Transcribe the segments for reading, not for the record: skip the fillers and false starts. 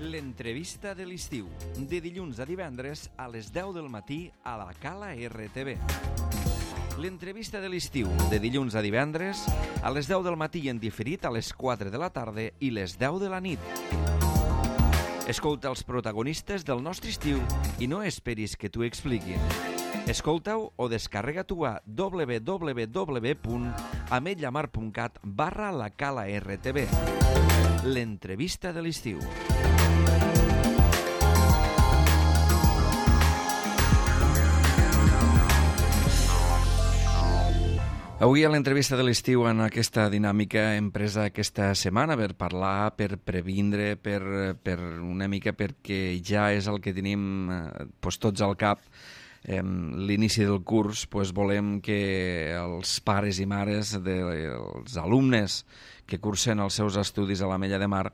L'entrevista de l'estiu, de dilluns a divendres a les 10 del matí a la Cala RTV. L'entrevista de l'estiu, de dilluns a divendres a les 10 del matí i en diferit a les 4 de la tarda i les 10 de la nit. Escolta els protagonistes del nostre estiu i no esperis que t'ho expliquin. Escolta-ho o descarrega-t'ho a www.ametllamar.cat/la Cala RTV. L'entrevista de l'estiu. Avui a l'entrevista de l'estiu, en aquesta dinàmica hem presa aquesta setmana per parlar, per previndre, per una mica perquè ja és el que tenim tots al cap. L'inici del curs, volem que els pares i mares dels alumnes que cursen els seus estudis a l'Ametlla de Mar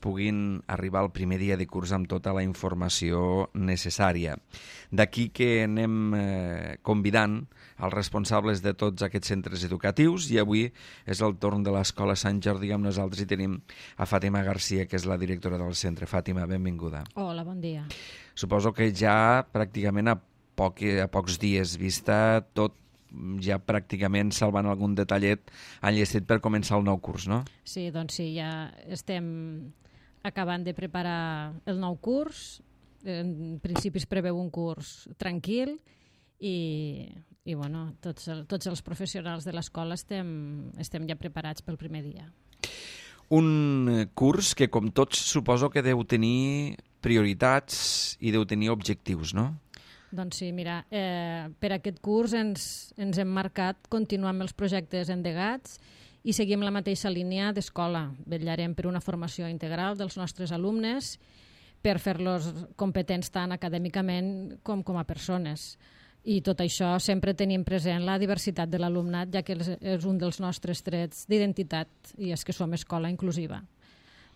puguin arribar al primer dia de curs amb tota la informació necessària. D'aquí que anem convidant els responsables de tots aquests centres educatius i avui és el torn de l'Escola Sant Jordi. Amb nosaltres hi tenim a Fàtima Garcia, que és la directora del centre. Fàtima, benvinguda. Hola, bon dia. Suposo que ja pràcticament a pocs dies vista tot, ja pràcticament salvant algun detallet enllestit per començar el nou curs, no? Sí, doncs sí, ja estem acabant de preparar el nou curs. En principi es preveu un curs tranquil i bueno, tots els professionals de l'escola estem ja preparats pel primer dia. Un curs que, com tots, suposo que deu tenir prioritats i deu tenir objectius, no? Doncs sí, mira, per aquest curs ens hem marcat continuar amb els projectes endegats i seguim la mateixa línia d'escola. Vetllarem per una formació integral dels nostres alumnes per fer-los competents tant acadèmicament com a persones. I tot això sempre tenim present la diversitat de l'alumnat, ja que és un dels nostres trets d'identitat i és que som escola inclusiva.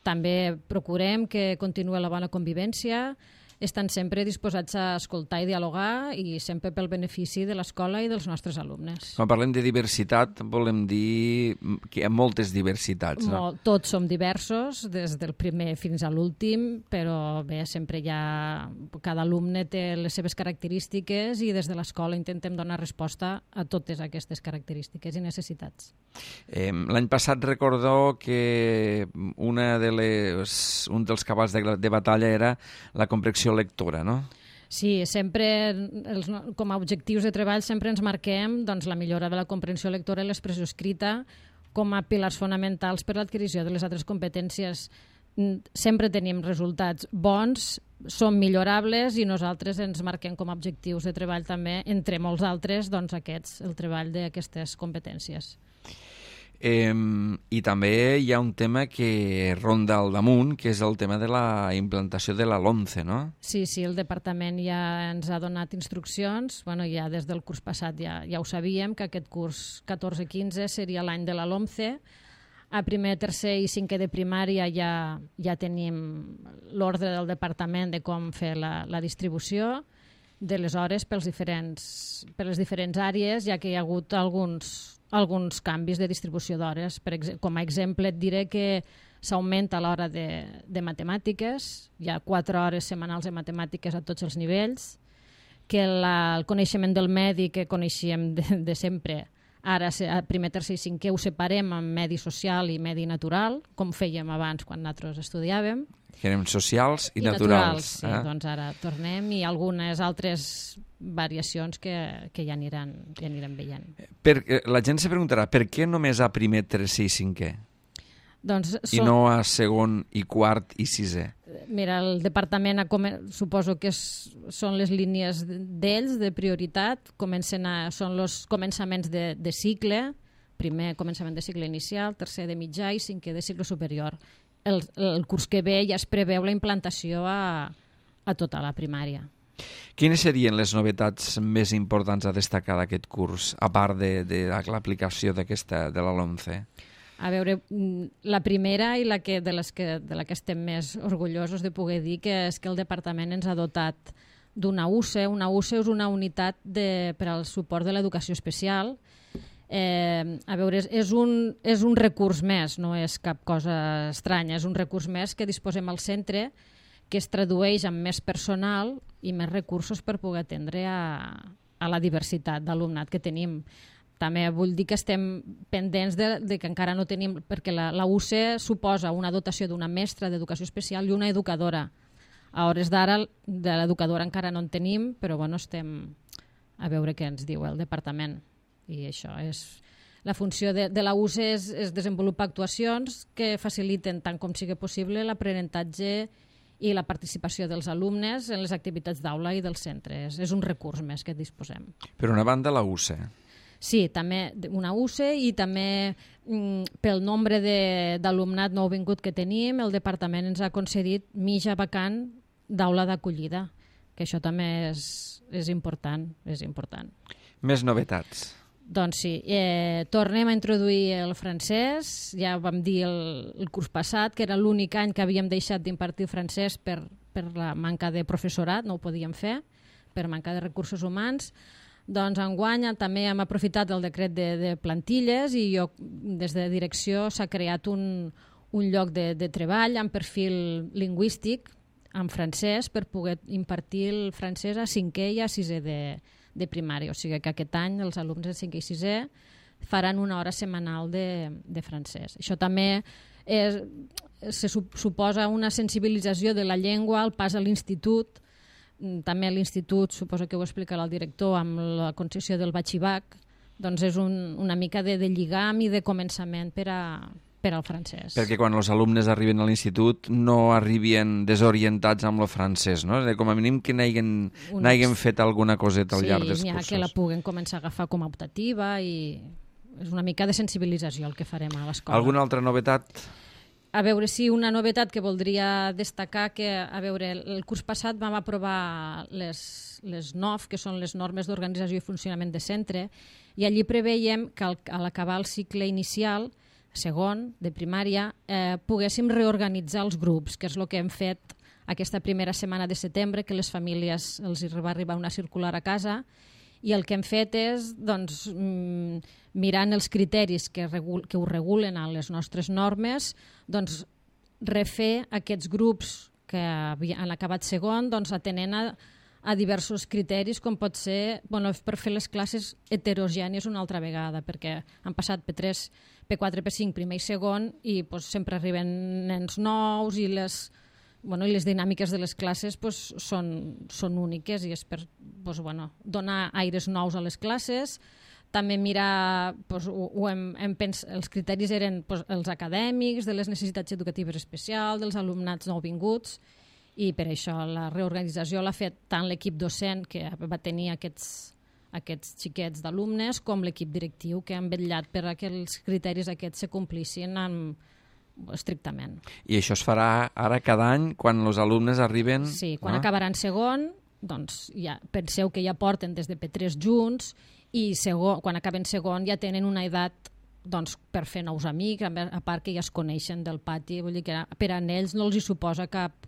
També procurem que continuï la bona convivència, estan sempre disposats a escoltar i dialogar i sempre pel benefici de l'escola i dels nostres alumnes. Quan parlem de diversitat volem dir que hi ha moltes diversitats, no? Tots som diversos, des del primer fins a l'últim, però bé, sempre cada alumne té les seves característiques i des de l'escola intentem donar resposta a totes aquestes característiques i necessitats. L'any passat recordo que un dels cabals de batalla era la comprensió lectora, no? Sí, sempre com a objectius de treball sempre ens marquem la millora de la comprensió lectora i l'expressió escrita com a pilars fonamentals per a l'adquisició de les altres competències. Sempre tenim resultats bons, són millorables i nosaltres ens marquem com a objectius de treball també, entre molts altres, el treball d'aquestes competències. I també hi ha un tema que ronda al damunt, que és el tema de la implantació de la LOMCE, no? Sí, el departament ja ens ha donat instruccions, ja des del curs passat ja ho sabíem, que aquest curs 14-15 seria l'any de la LOMCE. A primer, tercer i cinquè de primària ja tenim l'ordre del departament de com fer la distribució de les hores per les diferents àrees, ja que hi ha hagut alguns canvis de distribució d'hores. Com a exemple et diré que s'augmenta l'hora de matemàtiques, hi ha 4 hores setmanals de matemàtiques a tots els nivells, que el coneixement del medi que coneixíem de sempre, ara a primer, tercer i cinquè ho separem en medi social i medi natural, com fèiem abans quan nosaltres estudiàvem. Que eren socials i naturals. Sí, doncs ara tornem i algunes altres variacions que ja aniran veient. La gent se preguntarà per què només a primer, tercer i cinquè? I no a segon i quart i sisè? Mira, el departament suposo que són les línies d'ells de prioritat, són els començaments de cicle, primer començament de cicle inicial, tercer de mitjà i cinquè de cicle superior. El curs que ve ja es preveu la implantació a tota la primària. Quines serien les novetats més importants a destacar d'aquest curs, a part de l'aplicació de la LOMCE? A veure, la primera i de la que estem més orgullosos de poder dir que és que el departament ens ha dotat d'una UCE. Una UCE és una unitat per al suport de l'educació especial. A veure, és un recurs més, no és cap cosa estranya, és un recurs més que disposem al centre que es tradueix en més personal i més recursos per poder atendre a la diversitat d'alumnat que tenim. També vull dir que estem pendents de que encara no tenim, perquè la UCE suposa una dotació d'una mestra d'educació especial i una educadora. A hores d'ara, de l'educadora encara no en tenim, però bueno, estem a veure què ens diu el departament. I això és... La funció de la UCE és desenvolupar actuacions que faciliten tant com sigui possible l'aprenentatge i la participació dels alumnes en les activitats d'aula i dels centres. És un recurs més que disposem. Per una banda, la UCE. Sí, també una UCE i també pel nombre d'alumnat nouvingut que tenim, el departament ens ha concedit mitja vacant d'aula d'acollida, que això també és important, és important. Més novetats. Doncs sí, tornem a introduir el francès. Ja vam dir el curs passat que era l'únic any que havíem deixat d'impartir francès per la manca de professorat, no ho podíem fer, per manca de recursos humans. Doncs enguany també hem aprofitat el decret de plantilles i des de direcció s'ha creat un lloc de treball amb perfil lingüístic en francès per poder impartir el francès a 5è i a 6è de primària. O sigui que aquest any els alumnes de 5è i 6è faran una hora setmanal de francès. Això també suposa una sensibilització de la llengua al pas a l'institut. També a l'institut, suposo que ho explicarà el director, amb la concessió del batxibac, doncs és una mica de lligam i de començament per al francès. Perquè quan els alumnes arriben a l'institut no arribin desorientats amb el francès, no? Com a mínim que n'hagin fet alguna coseta al llarg dels cursos. Sí, n'hi ha que la puguen començar a agafar com a optativa i és una mica de sensibilització el que farem a l'escola. Alguna altra novetat? A veure, sí, una novetat que voldria destacar, que a veure, el curs passat vam aprovar les NOF, que són les normes d'organització i funcionament de centre, i allí preveiem que a l'acabar el cicle inicial, segon, de primària, poguéssim reorganitzar els grups, que és el que hem fet aquesta primera setmana de setembre, que les famílies els va arribar una circular a casa, i el que hem fet és, doncs, mirant els criteris que ho regulen a les nostres normes, doncs, refer aquests grups que han acabat segon, doncs, atenent a diversos criteris, com pot ser per fer les classes heterogènies una altra vegada, perquè han passat P3, P4, P5, primer i segon, i sempre arriben nens nous i les dinàmiques de les classes són úniques i és per donar aires nous a les classes. També mirar, els criteris eren els acadèmics, de les necessitats educatives especials, dels alumnats nouvinguts, i per això la reorganització l'ha fet tant l'equip docent, que va tenir aquests xiquets d'alumnes, com l'equip directiu, que han vetllat per que els criteris aquests se complissin estrictament. I això es farà ara cada any quan els alumnes arriben... Sí, quan acabaran segon, doncs penseu que ja porten des de P3 junts i quan acaben segon ja tenen una edat per fer nous amics, a part que ja es coneixen del pati, vull dir que per a ells no els hi suposa cap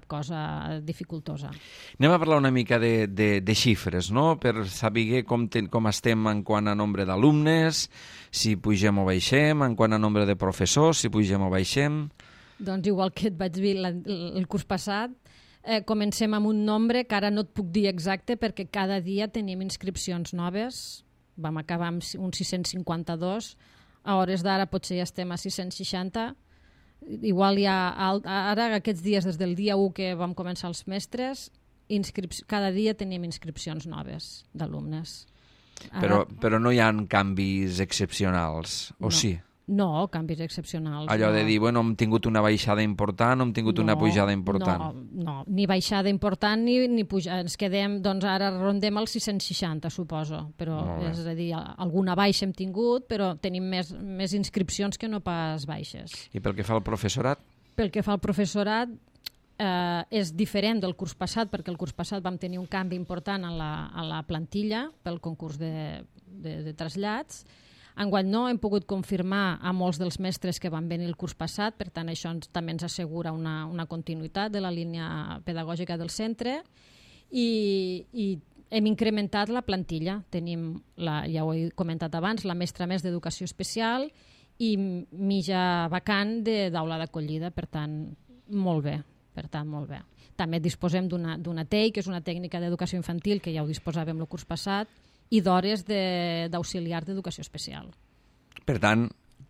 cosa dificultosa. Anem a parlar una mica de xifres, no? Per saber com estem en quant a nombre d'alumnes, si pugem o baixem, en quant a nombre de professors, si pugem o baixem... Doncs igual que et vaig dir el curs passat, comencem amb un nombre que ara no et puc dir exacte perquè cada dia tenim inscripcions noves. Vam acabar amb uns 652, a hores d'ara potser ja estem a 660. Igual ara aquests dies, des del dia 1 que vam començar els mestres, cada dia tenim inscripcions noves d'alumnes. Però no hi ha canvis excepcionals, o sí? No, canvis excepcionals. Allò de dir, hem tingut una baixada important o hem tingut una pujada important. No, ni baixada important ni pujada. Ens quedem, doncs ara rondem els 660, suposo. Però, és a dir, alguna baixa hem tingut, però tenim més inscripcions que no pas baixes. I pel que fa al professorat? Pel que fa al professorat, és diferent del curs passat, perquè el curs passat vam tenir un canvi important a la plantilla pel concurs de trasllats. Enguany no, hem pogut confirmar a molts dels mestres que van venir el curs passat, per tant això també ens assegura una continuïtat de la línia pedagògica del centre i hem incrementat la plantilla. Tenim, ja ho he comentat abans, la mestra més d'educació especial i mitja vacant d'aula d'acollida, per tant, molt bé. Per tant, molt bé. També disposem d'una TEI, que és una tècnica d'educació infantil, que ja ho disposàvem el curs passat, i d'hores d'auxiliar d'educació especial. Per tant,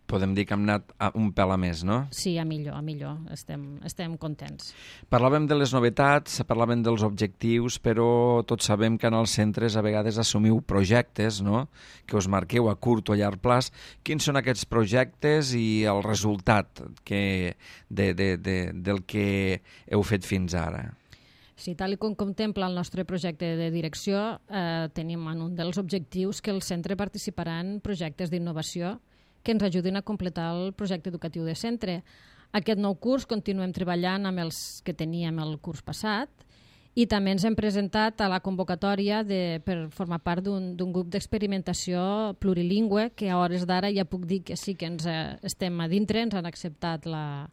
podem dir que hem anat un pèl a més, no? Sí, a millor. Estem contents. Parlàvem de les novetats, parlàvem dels objectius, però tots sabem que en els centres a vegades assumiu projectes, no?, que us marqueu a curt o a llarg plaç. Quins són aquests projectes i el resultat del que heu fet fins ara? Sí, tal com contempla el nostre projecte de direcció, tenim en un dels objectius que el centre participarà en projectes d'innovació que ens ajudin a completar el projecte educatiu de centre. Aquest nou curs continuem treballant amb els que teníem el curs passat i també ens hem presentat a la convocatòria per formar part d'un grup d'experimentació plurilingüe que a hores d'ara ja puc dir que sí que ens estem a dintre, ens han acceptat la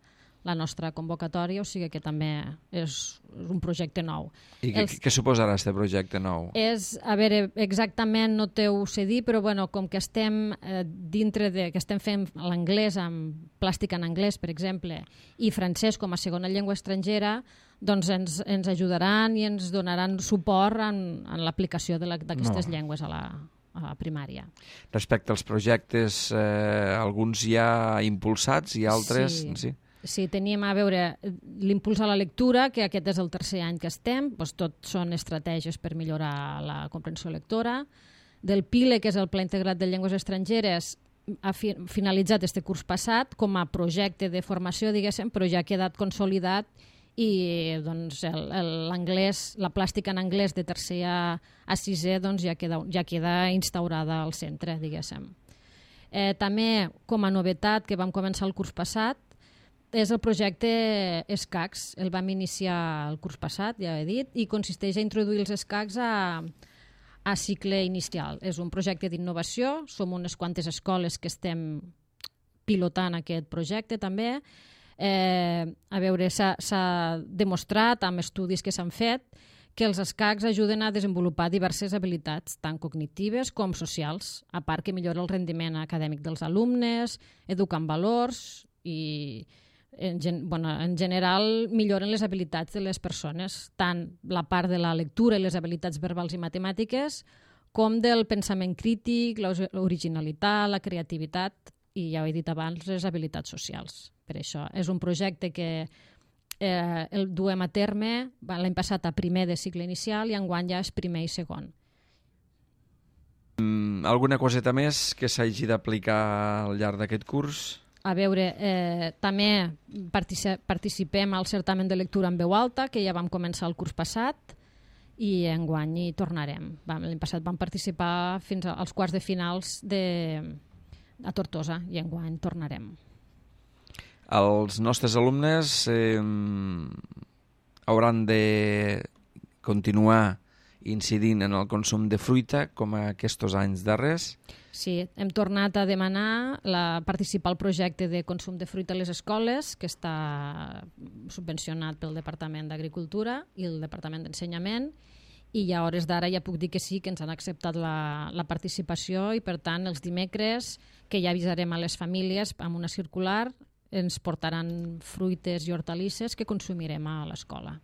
nostra convocatòria, o sigui que també és un projecte nou. I què suposarà aquest projecte nou? A veure, exactament no t'ho sé dir, però bueno, com que estem que estem fent l'anglès amb plàstic en anglès, per exemple, i francès com a segona llengua estrangera, doncs ens ajudaran i ens donaran suport en l'aplicació d'aquestes llengües a la primària. Respecte als projectes, alguns ja impulsats i altres... Sí, teníem a veure l'impuls a la lectura, que aquest és el tercer any que estem, doncs tot són estratègies per millorar la comprensió lectora. Del PILE, que és el Pla Integrat de Llengües Estrangeres, ha finalitzat este curs passat com a projecte de formació, diguéssim, però ja ha quedat consolidat i doncs, l'anglès, la plàstica en anglès de tercer a sisè doncs, ja queda instaurada al centre, diguéssim. També, com a novetat que vam començar el curs passat, és el projecte ESCACs. El vam iniciar el curs passat, ja he dit, i consisteix a introduir els ESCACs a cicle inicial. És un projecte d'innovació, som unes quantes escoles que estem pilotant aquest projecte també. A veure, s'ha demostrat amb estudis que s'han fet que els ESCACs ajuden a desenvolupar diverses habilitats, tant cognitives com socials, a part que millora el rendiment acadèmic dels alumnes, educant valors i en general milloren les habilitats de les persones, tant la part de la lectura i les habilitats verbals i matemàtiques com del pensament crític, l'originalitat, la creativitat i, ja ho he dit abans, les habilitats socials. Per això és un projecte que el duem a terme l'any passat a primer de cicle inicial i enguany ja és primer i segon. Alguna coseta més que s'hagi d'aplicar al llarg d'aquest curs? A veure, també participem al certamen de lectura en veu alta, que ja vam començar el curs passat, i enguany hi tornarem. L'any passat vam participar fins als quarts de finals a Tortosa, i enguany tornarem. Els nostres alumnes hauran de continuar incidint en el consum de fruita, com aquests anys darrers. Sí, hem tornat a demanar participar al projecte de consum de fruita a les escoles, que està subvencionat pel Departament d'Agricultura i el Departament d'Ensenyament, i ja a hores d'ara ja puc dir que sí, que ens han acceptat la participació i, per tant, els dimecres, que ja avisarem a les famílies amb una circular, ens portaran fruites i hortalisses que consumirem a l'escola.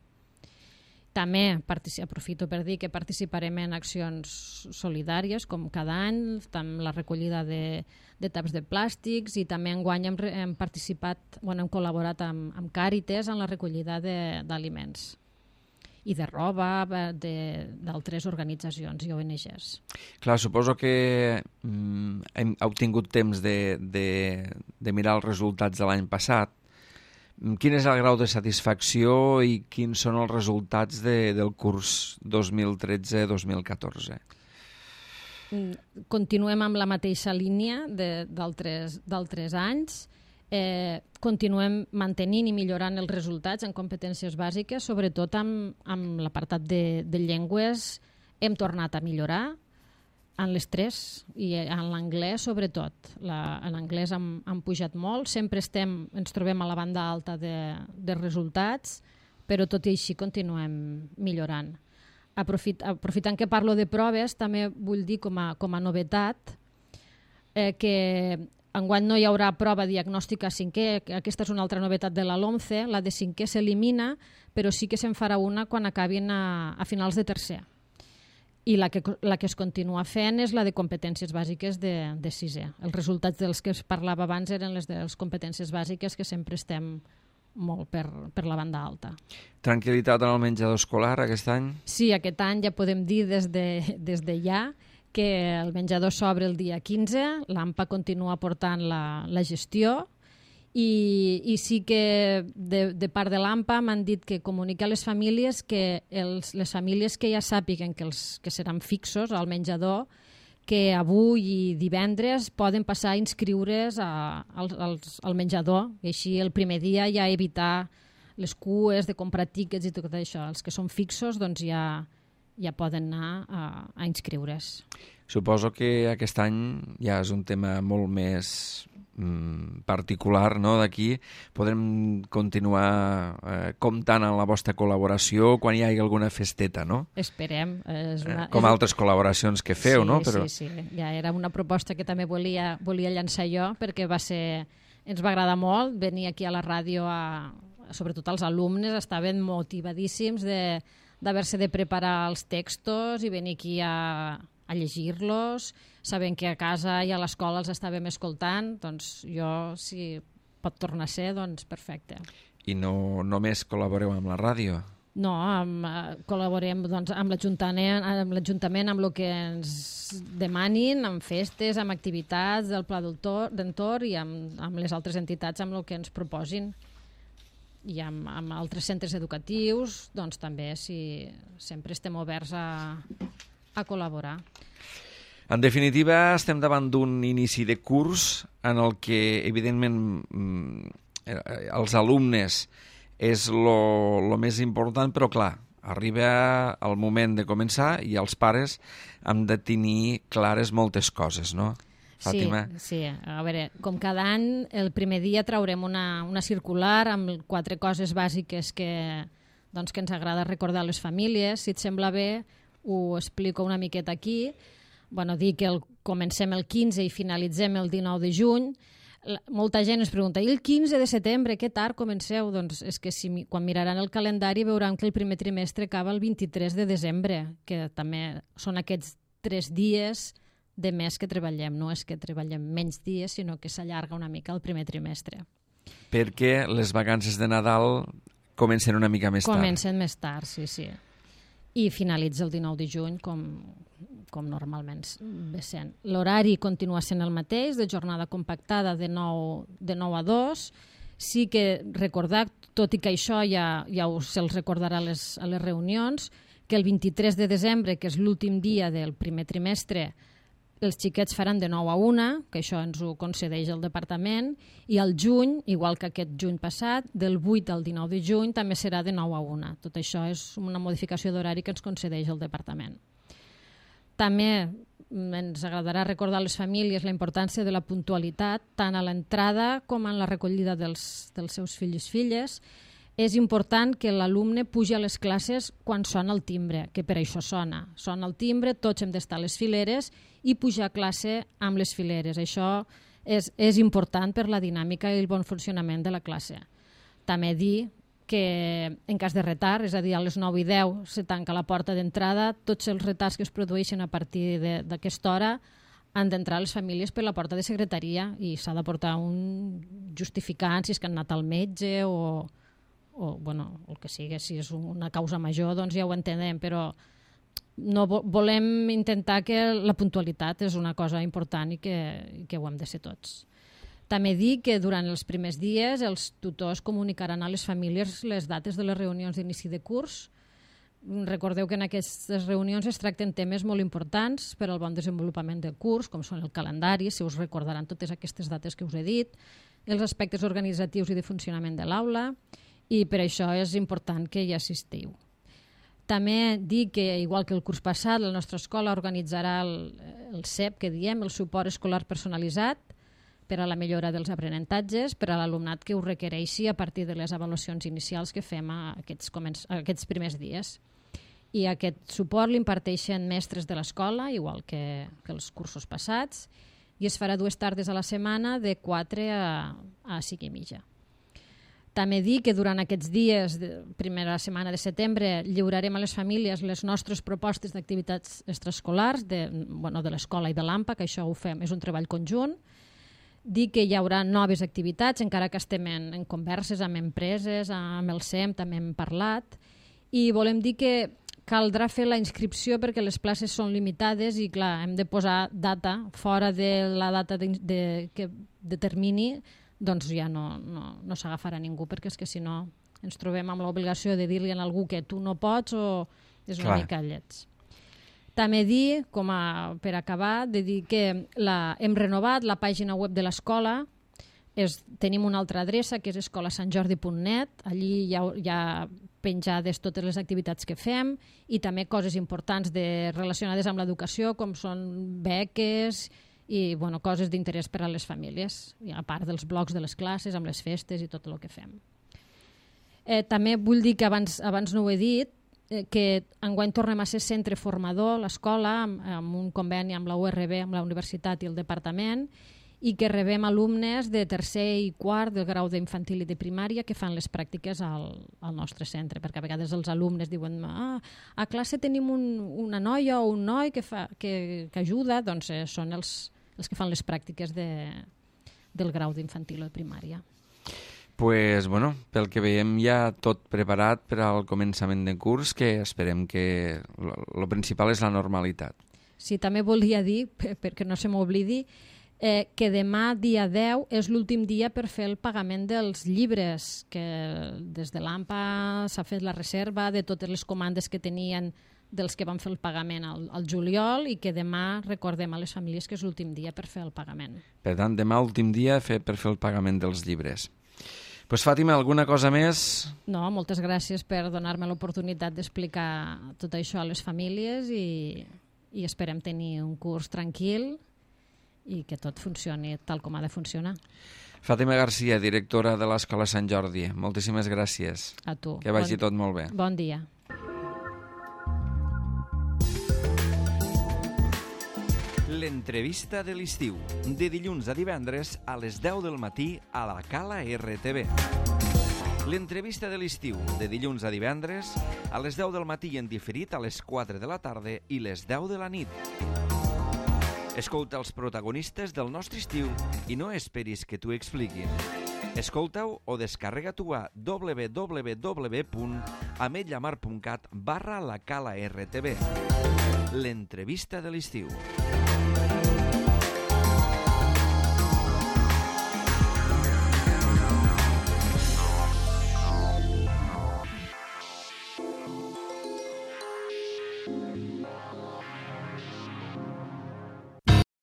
També aprofito per dir que participarem en accions solidàries, com cada any, amb la recollida de taps de plàstics, i també enguany hem col·laborat amb Càritas en la recollida d'aliments i de roba d'altres organitzacions i ONGs. Clar, suposo que heu tingut temps de mirar els resultats de l'any passat. Quin és el grau de satisfacció i quins són els resultats del curs 2013-2014? Continuem amb la mateixa línia d'altres anys. Continuem mantenint i millorant els resultats en competències bàsiques, sobretot amb l'apartat de llengües. Hem tornat a millorar en les tres i en l'anglès sobretot. En anglès han pujat molt, sempre ens trobem a la banda alta de resultats, però tot i així continuem millorant. Aprofitant que parlo de proves, també vull dir com a novetat que enguany no hi haurà prova diagnòstica a cinquè, aquesta és una altra novetat de la LOMCE, la de cinquè s'elimina, però sí que se'n farà una quan acabin a finals de tercer. I la que es continua fent és la de competències bàsiques de sisè. Els resultats dels que es parlava abans eren les de les competències bàsiques, que sempre estem molt per la banda alta. Tranquil·litat en el menjador escolar aquest any? Sí, aquest any ja podem dir des de ja que el menjador s'obre el dia 15, l'AMPA continua portant la gestió i sí que de part de l'AMPA m'han dit que comunicar a les famílies que les famílies que ja sàpiguen que seran fixos al menjador, que avui i divendres poden passar a inscriure's al menjador i així el primer dia ja evitar les cues de comprar tíquets i tot això. Els que són fixos doncs ja poden anar a inscriure's. Suposo que aquest any ja és un tema molt més particular, no? D'aquí podrem continuar comptant amb la vostra col·laboració quan hi hagi alguna festeta, no? Esperem. Com altres col·laboracions que feu, sí, no? Però... Sí. Ja era una proposta que també volia llançar jo perquè ens va agradar molt venir aquí a la ràdio, sobretot els alumnes estaven motivadíssims d'haver-se de preparar els textos i venir aquí a llegir-los, sabent que a casa i a l'escola els estàvem escoltant, doncs jo, si pot tornar a ser, doncs perfecte. I no només col·laboreu amb la ràdio? No, col·laborem doncs, amb l'Ajuntament, amb el que ens demanin, amb festes, amb activitats del Pla d'Entorn i amb les altres entitats amb el que ens proposin. I amb altres centres educatius, doncs també sempre estem oberts a col·laborar. En definitiva, estem davant d'un inici de curs en el que, evidentment, els alumnes és el més important, però clar, arriba el moment de començar i els pares hem de tenir clares moltes coses, no? Fàtima? Sí. A veure, com cada any, el primer dia traurem una circular amb 4 coses bàsiques que ens agrada recordar a les famílies. Si et sembla bé, ho explico una miqueta aquí. Dir que comencem el 15 i finalitzem el 19 de juny. Molta gent ens pregunta, i el 15 de setembre, que tard comenceu? Doncs és que quan miraran el calendari veuran que el primer trimestre acaba el 23 de desembre, que també són aquests 3 dies de mes que treballem. No és que treballem menys dies, sinó que s'allarga una mica el primer trimestre. Perquè les vacances de Nadal comencen una mica més tard. Comencen més tard, sí. I finalitza el 19 de juny, com normalment ve sent. L'horari continua sent el mateix, de jornada compactada de 9 a 2. Sí que recordar, tot i que això ja se'ls recordarà a les reunions, que el 23 de desembre, que és l'últim dia del primer trimestre, els xiquets faran de 9 a 1, que això ens ho concedeix el departament, i al juny, igual que aquest juny passat, del 8 al 19 de juny també serà de 9 a 1. Tot això és una modificació d'horari que ens concedeix el departament. També ens agradarà recordar a les famílies la importància de la puntualitat, tant a l'entrada com en la recollida dels seus fills i filles. És important que l'alumne pugi a les classes quan sona el timbre, que per això sona. Sona el timbre, tots hem d'estar a les fileres i pujar a classe amb les fileres. Això és important per la dinàmica i el bon funcionament de la classe. També dir que en cas de retard, és a dir, a les 9 i 10 se tanca la porta d'entrada, tots els retards que es produeixen a partir d'aquesta hora han d'entrar les famílies per la porta de secretaria i s'ha de portar un justificant si és que han anat al metge o el que sigui, si és una causa major, doncs ja ho entenem, però no volem intentar que la puntualitat és una cosa important i que ho hem de ser tots. També dir que durant els primers dies els tutors comunicaran a les famílies les dates de les reunions d'inici de curs. Recordeu que en aquestes reunions es tracten temes molt importants per al bon desenvolupament del curs, com són el calendari, si us recordaran totes aquestes dates que us he dit, els aspectes organitzatius i de funcionament de l'aula, i per això és important que hi assistiu. També dir que, igual que el curs passat, la nostra escola organitzarà el CEP, que diem, el suport escolar personalitzat, per a la millora dels aprenentatges, per a l'alumnat que ho requereixi a partir de les avaluacions inicials que fem aquests primers dies. I aquest suport l'imparteixen mestres de l'escola, igual que els cursos passats, i es farà 2 tardes a la setmana de 4 a 5 i mitja. També dir que durant aquests dies, primera setmana de setembre, lliurarem a les famílies les nostres propostes d'activitats extraescolars de l'escola i de l'AMPA, que això ho fem, és un treball conjunt. Dir que hi haurà noves activitats, encara que estem en converses amb empreses, amb el SEM, també hem parlat, i volem dir que caldrà fer la inscripció perquè les places són limitades i, clar, hem de posar data fora de la data de termini, doncs ja no s'agafarà ningú, perquè és que si no ens trobem amb l'obligació de dir-li a algú que tu no pots o és una mica lleig. També dir, per acabar, de dir que hem renovat la pàgina web de l'escola, tenim una altra adreça que és escolasantjordi.net, allí hi ha penjades totes les activitats que fem i també coses importants relacionades amb l'educació, com són beques i coses d'interès per a les famílies, a part dels blocs de les classes, amb les festes i tot el que fem. També vull dir que abans no ho he dit, que enguany tornem a ser centre formador, l'escola, amb un conveni amb la URB, amb la universitat i el departament, i que rebem alumnes de tercer i quart del grau d'infantil i de primària que fan les pràctiques al nostre centre, perquè a vegades els alumnes diuen a classe tenim una noia o un noi que ajuda, doncs són els que fan les pràctiques del grau d'infantil o de primària. Pues, pel que veiem ja tot preparat per al començament de curs, que esperem que el principal és la normalitat. Sí, també volia dir, perquè no se m'oblidi, que demà, dia 10, és l'últim dia per fer el pagament dels llibres, que des de l'AMPA s'ha fet la reserva de totes les comandes que tenien dels que van fer el pagament al juliol i que demà recordem a les famílies que és l'últim dia per fer el pagament. Per tant, demà últim dia per fer el pagament dels llibres. Pues, Fàtima, alguna cosa més? No, moltes gràcies per donar-me l'oportunitat d'explicar tot això a les famílies i esperem tenir un curs tranquil i que tot funcioni tal com ha de funcionar. Fàtima Garcia, directora de l'Escola Sant Jordi, moltíssimes gràcies. A tu. Que vagi tot molt bé. Bon dia. L'entrevista de l'estiu, de dilluns a divendres a les 10 del matí a la Cala RTV. L'entrevista de l'estiu, de dilluns a divendres a les 10 del matí en diferit a les 4 de la tarda i les 10 de la nit. Escolta els protagonistes del nostre estiu i no esperis que t'ho expliquin. Escolta-ho o descarrega-t'ho a www.ametlllamar.cat/la Cala RTV. L'entrevista de l'estiu.